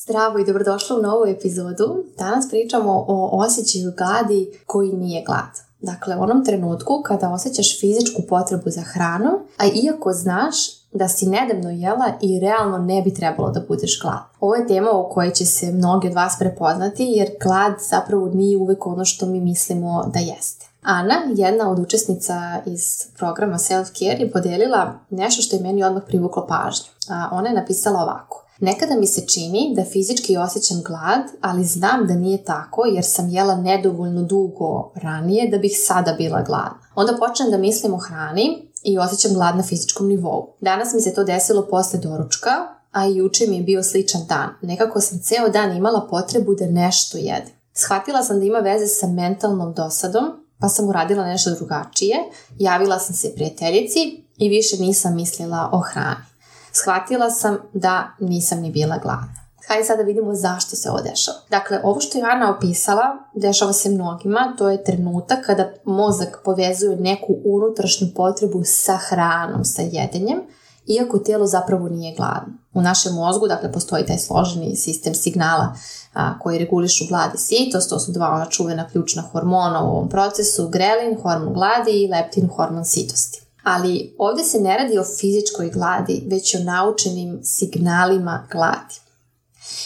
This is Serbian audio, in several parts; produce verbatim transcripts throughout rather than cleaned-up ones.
Zdravo i dobrodošla u novu epizodu. Danas pričamo o osjećaju gladi koji nije glad. Dakle, u onom trenutku kada osjećaš fizičku potrebu za hranom, a iako znaš da si nedavno jela i realno ne bi trebalo da budeš gladna. Ovo je tema u kojoj će se mnogi od vas prepoznati jer glad zapravo nije uvek ono što mi mislimo da jeste. Ana, jedna od učesnica iz programa Self-Care, je podelila nešto što je meni odmah privuklo pažnju. A ona je napisala ovako. Nekada mi se čini da fizički osjećam glad, ali znam da nije tako jer sam jela nedovoljno dugo ranije da bih sada bila gladna. Onda počnem da mislim o hrani i osjećam glad na fizičkom nivou. Danas mi se to desilo posle doručka, a i juče mi je bio sličan dan. Nekako sam ceo dan imala potrebu da nešto jedem. Shvatila sam da ima veze sa mentalnom dosadom, pa sam uradila nešto drugačije. Javila sam se prijateljici i više nisam mislila o hrani. Shvatila sam da nisam ni bila gladna. Hajde sada vidimo zašto se ovo dešava. Dakle, ovo što je Ana opisala dešava se mnogima. To je trenutak kada mozak povezuje neku unutrašnju potrebu sa hranom, sa jedenjem, iako telo zapravo nije gladno. U našem mozgu, dakle, postoji taj složeni sistem signala a, koji regulišu glad i sitost. To su dva ona čuvena ključna hormona u ovom procesu, grelin, hormon gladi i leptin, hormon sitosti. Ali ovdje se ne radi o fizičkoj gladi, već o naučenim signalima gladi.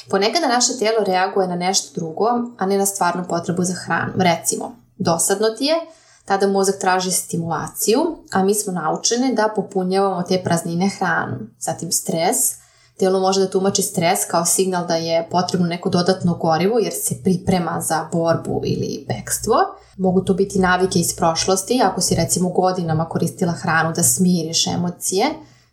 Ponekada naše tijelo reaguje na nešto drugo, a ne na stvarnu potrebu za hranu. Recimo, dosadno ti je, tada mozak traži stimulaciju, a mi smo naučeni da popunjavamo te praznine hranom. Zatim stres. Tijelo može da tumači stres kao signal da je potrebno neko dodatno gorivo jer se priprema za borbu ili bekstvo. Mogu to biti navike iz prošlosti, ako si recimo godinama koristila hranu da smiriš emocije,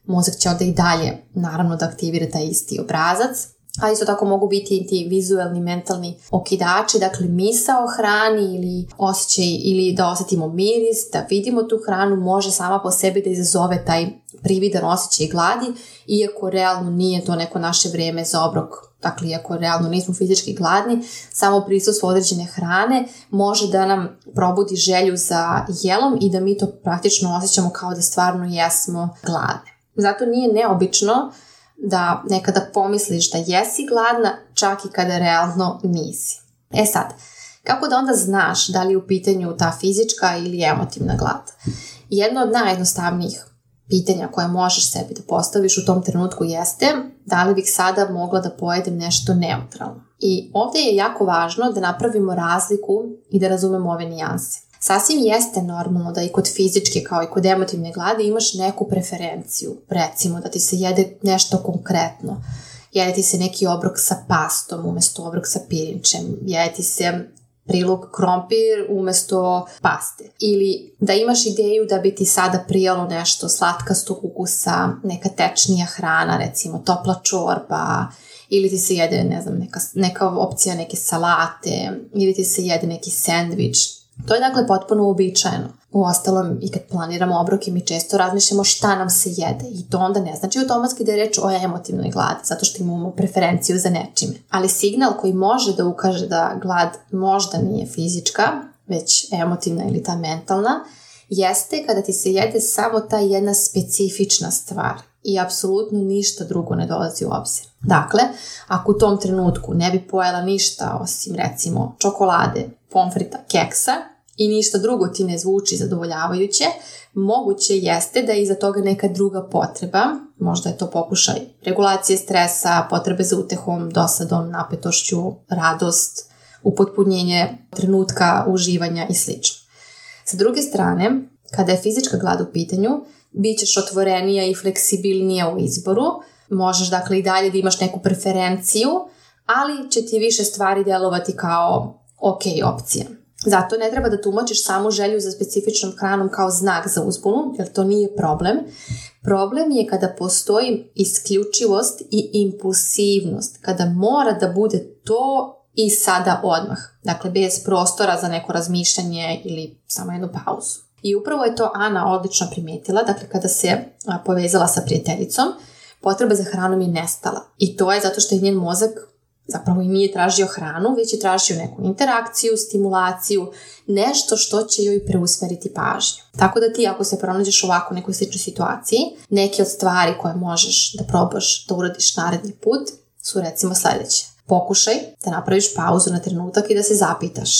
mozak će onda i dalje naravno da aktivira taj isti obrazac. A isto tako mogu biti i ti vizualni, mentalni okidači, dakle misao o hrani ili osjećaj ili da osjetimo miris, da vidimo tu hranu, može sama po sebi da izazove taj prividan osjećaj gladi, iako realno nije to neko naše vreme za obrok. Dakle, iako realno nismo fizički gladni, samo prisustvo određene hrane može da nam probudi želju za jelom i da mi to praktično osjećamo kao da stvarno jesmo gladne. Zato nije neobično da nekada pomisliš da jesi gladna, čak i kada realno nisi. E sad, kako da onda znaš da li je u pitanju ta fizička ili emotivna glad? Jedno od najjednostavnijih pitanja koje možeš sebi da postaviš u tom trenutku jeste da li bih sada mogla da pojedem nešto neutralno. I ovdje je jako važno da napravimo razliku i da razumemo ove nijanse. Sasvim jeste normalno da i kod fizičke kao i kod emotivne gladi imaš neku preferenciju. Recimo da ti se jede nešto konkretno. Jede ti se neki obrok sa pastom umjesto obrok sa pirinčem. Jede ti se prilog krompir umjesto paste. Ili da imaš ideju da bi ti sada prijalo nešto slatkastog ukusa, neka tečnija hrana, recimo topla čorba, ili ti se jede ne znam, neka, neka opcija neke salate, ili ti se jede neki sendvič. To je dakle potpuno uobičajeno. Uostalom, i kad planiramo obroke, mi često razmišljamo šta nam se jede i to onda ne znači automatski da je reč o emotivnoj gladi, zato što imamo preferenciju za nečime. Ali signal koji može da ukaže da glad možda nije fizička, već emotivna ili ta mentalna, jeste kada ti se jede samo ta jedna specifična stvar i apsolutno ništa drugo ne dolazi u obzir. Dakle, ako u tom trenutku ne bi pojela ništa osim recimo čokolade, pomfrita, keksa i ništa drugo ti ne zvuči zadovoljavajuće, moguće jeste da je iza toga neka druga potreba, možda je to pokušaj regulacije stresa, potrebe za utehom, dosadom, napetošću, radost, upotpunjenje trenutka uživanja i sl. Sa druge strane, kada je fizička glad u pitanju, bit ćeš otvorenija i fleksibilnija u izboru, možeš dakle i dalje da imaš neku preferenciju, ali će ti više stvari delovati kao ok opcija. Zato ne treba da tumačiš samu želju za specifičnom hranom kao znak za uzbunu, jer to nije problem. Problem je kada postoji isključivost i impulsivnost, kada mora da bude to i sada odmah. Dakle, bez prostora za neko razmišljanje ili samo jednu pauzu. I upravo je to Ana odlično primijetila, dakle kada se povezala sa prijateljicom, potreba za hranom je nestala. I to je zato što je njen mozak zapravo i nije tražio hranu, već je tražio neku interakciju, stimulaciju, nešto što će joj preusmeriti pažnju. Tako da ti ako se pronađeš ovako u nekoj sličnoj situaciji, neke od stvari koje možeš da probaš da uradiš naredni put su recimo sljedeće. Pokušaj da napraviš pauzu na trenutak i da se zapitaš,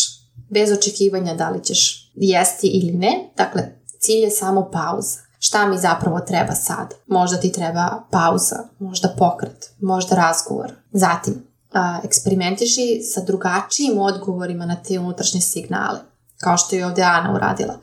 bez očekivanja da li ćeš jesti ili ne. Dakle, cilj je samo pauza. Šta mi zapravo treba sad? Možda ti treba pauza, možda pokret, možda razgovor. Zatim, a, eksperimentiši sa drugačijim odgovorima na te unutrašnje signale, kao što je ovdje Ana uradila.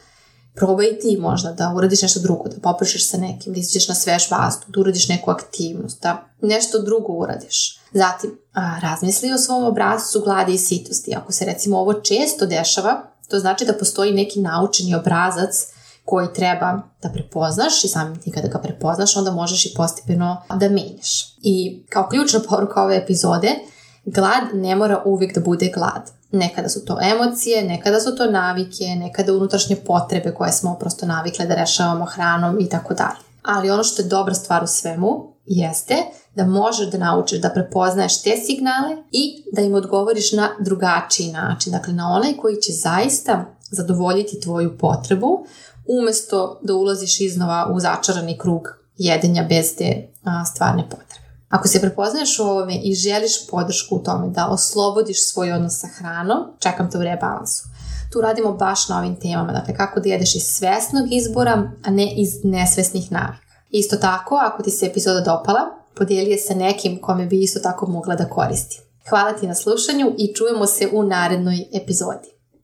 Probaj ti možda da uradiš nešto drugo, da poprišeš sa nekim, da izađeš na svež vazduh, da uradiš neku aktivnost, da nešto drugo uradiš. Zatim, a, razmisli o svom obrascu gladi i sitosti. Ako se recimo ovo često dešava, to znači da postoji neki naučeni obrazac koji treba da prepoznaš i samim ti kada ga prepoznaš, onda možeš i postepeno da menjaš. I kao ključna poruka ove epizode, glad ne mora uvijek da bude glad. Nekada su to emocije, nekada su to navike, nekada unutrašnje potrebe koje smo prosto navikle da rešavamo hranom i tako dalje. Ali ono što je dobra stvar u svemu jeste da možeš da naučiš da prepoznaješ te signale i da im odgovoriš na drugačiji način. Dakle, na onaj koji će zaista zadovoljiti tvoju potrebu, umjesto da ulaziš iznova u začarani krug jedenja bez te a, stvarne potrebe. Ako se prepoznaješ u ovome i želiš podršku u tome da oslobodiš svoj odnos sa hranom, čekam te u rebalansu. Tu radimo baš na ovim temama, dakle kako da jedeš iz svesnog izbora, a ne iz nesvesnih navika. Isto tako, ako ti se epizoda dopala, podijeli je sa nekim kome bi isto tako mogla da koristi. Hvala ti na slušanju i čujemo se u narednoj epizodi.